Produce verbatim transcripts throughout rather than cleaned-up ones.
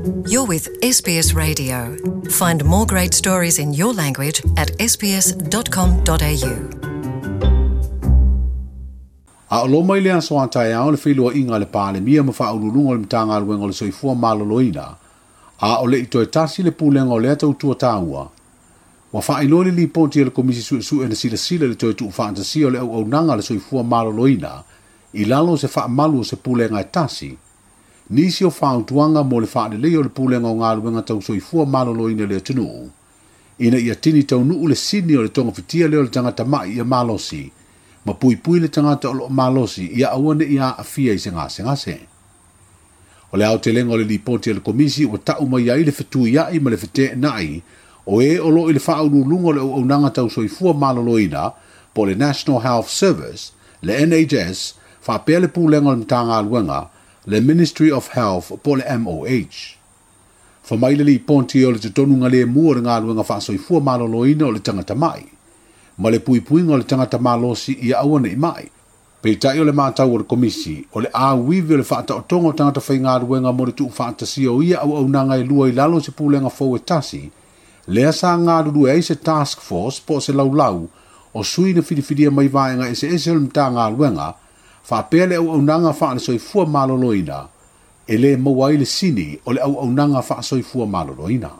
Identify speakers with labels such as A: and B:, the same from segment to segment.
A: You're with S B S Radio. Find more great stories in your language at s b s dot com dot a u.
B: A o loma i le aso a taeao le feiloaiga a le Palemia ma faauluuluga o le Matagaluega o le Soifua Maloloina, a o le i toe tasi le pulega o lea tautua taua. Ua faailoa le lipoti a le Komisi Suesue na silasila i le toe tuufaatasia o le auaunaga a le Soifua Maloloina i lalo o se faamalu o se pulega e tasi. Nisi o fautuaga mo le faalelei o le pulega o galuega tau soifua maloloina i le atunuu, ina ia tini taunuu le sini o le togafitia lea o le tagata mai ia malosi, ma puipui le tagata o loo malosi ia aua ne i aafia i se gasegase. O le aotelega o le lipoti a le Komisi ua tau mai ai le fetuiai ma le feteenai o e o loo i le faauluuluga o le auaunaga tau soifua maloloina po o le National Health Service, le N H S, faapea le pulega o le Matagaluega, le Ministry of Health po o le M O H. Fa mai le lipoti o le totonuga lemu o le galuega faasoifua maloloina o le tagata mai, ma le puipuiga o le tagata malosi ia aua nei mai. Peitai o le matau o le Komisi, o le auivi o le faataotoga o tagata faigaluega mo le tuufaatasia o ia auaunaga e lua i lalo o se pulega fou e tasi, lea sa galulue ai se task force po o se laulau o sui na filifilia mai vaega eseese o le Matagaluega, faapea le auaunaga faale-soifua maloloina, e le maua ai le sini o le auaunaga faasoifua maloloina.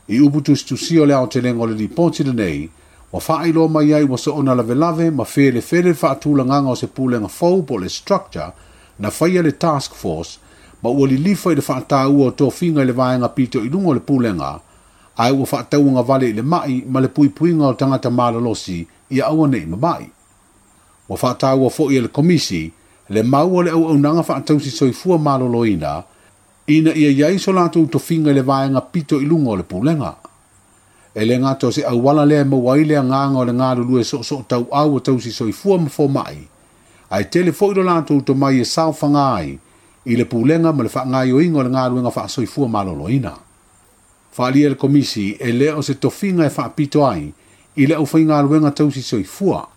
B: I upu tusitusia o le aotelega o le lipoti lenei, ua faailoa mai ai ua soona lavelave ma felefele le faatulagaga o se pulega fou po o le structure na faia le task force, ma ua lilifa i le faataua o tofiga i le vaega pito i luga o le pulega, ae ua faatauagavale i le mai ma le puipuiga o tagata malolosi ia aua nei mamai. Ua faataua foi e le Komisi le mau o le auaunaga faatausi soifua maloloina ina ia iai so latou tofiga i le vaega pito i luga o le pulega. E le gata o se auala lea e maua ai le agaga o le galulue soosoo tauau o tausi soifua ma fomai, ae tele foi lo latou tomai e saofaga ai i le pulega ma le faagaoioiga o le galuega faasoifua maloloina. Faaalia e le Komisi e le o se tofiga e faapito ai i le aufaigaluega tausi soifua,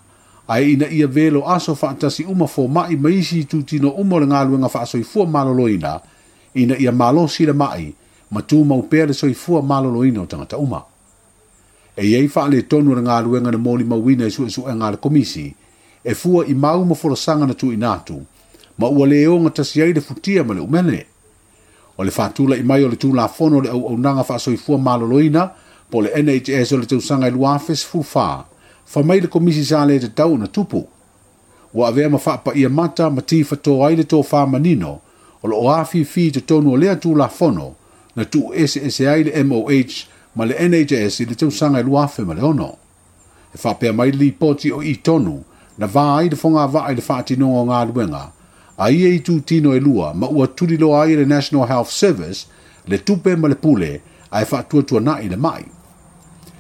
B: ae ina ia velo aso faatasi uma fomai ma isi itutino uma o le galuega faasoifua maloloina, ina ia malosi le mai ma tumau pea le soifua maloloina o tagata uma. E iai faaletonu o le galuega na molimauina i suesuega a le Komisi, e fua i mau ma folasaga na tuuina atu, ma ua le ogatasi ai le futia ma le umele. O le faatulai mai o le Tulafono o le auaunaga faasoifua maloloina po o le N H S o le tausaga i lua afe sefulu fa, fa mai le Komisi sa le tatau na tupu. Ua avea ma faapaia mata ma tifatoa ai le tofā manino o loo afifi i totonu o lea Tulafono na tuueseese ai le M O H ma le N H S i le tausaga i lua afe ma le ono. E faapea mai le lipoti o i tonu na vā ai le fogavaa i le faatinoga o galuega, a ia itutino e lua ma ua tuliloa ai le National Health Service le tupe ma le pule ae faatuatuana'i le mai.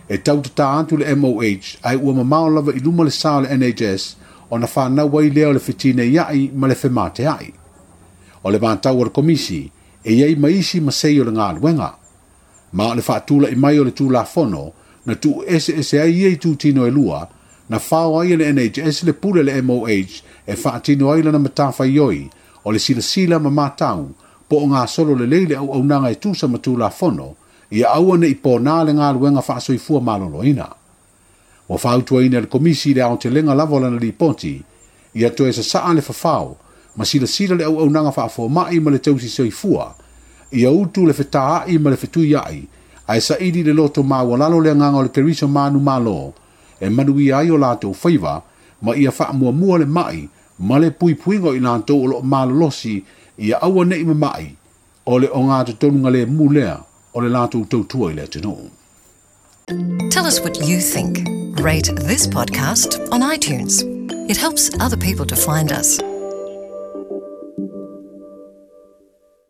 B: E tautatā atu le M O H ae ua mamao lava i luma le sa o le N H S ona whanau ai lea o le fetineiai ma le femateai. O le matau o le Komisi e iai maisi ma sei o le galuega. Ma o le faatulai mai o le Tulafono na tuueseese ai ia itutino e lua, na fao ai e le N H S le pule le M O H e faatino ai lana matafaioi o le silasila ma matau po o gasolo lelei le auaunaga e tusa ma Tulafono ia aua nei pōnā le galuega faasoifua maloloina. Ua fautuaina e le Komisi le aotelega lava o lana lipoti ia toe sasaa le fafao ma silasila le auaunaga faafomai ma le tausi soifua ia utu le fetaai ma le fetuiai ae saili le loto maualalo le agaga o le Keriso manumalo e manuia ai o latou faiva ma ia faamuamua le mai ma le puipuiga o i latou o loo malolosi ia aua nei mamai o le ogatotonuga lemu lea o le latou tautua i le atunuu.
A: Tell us what you think. Rate this podcast on iTunes. It helps other people to find us.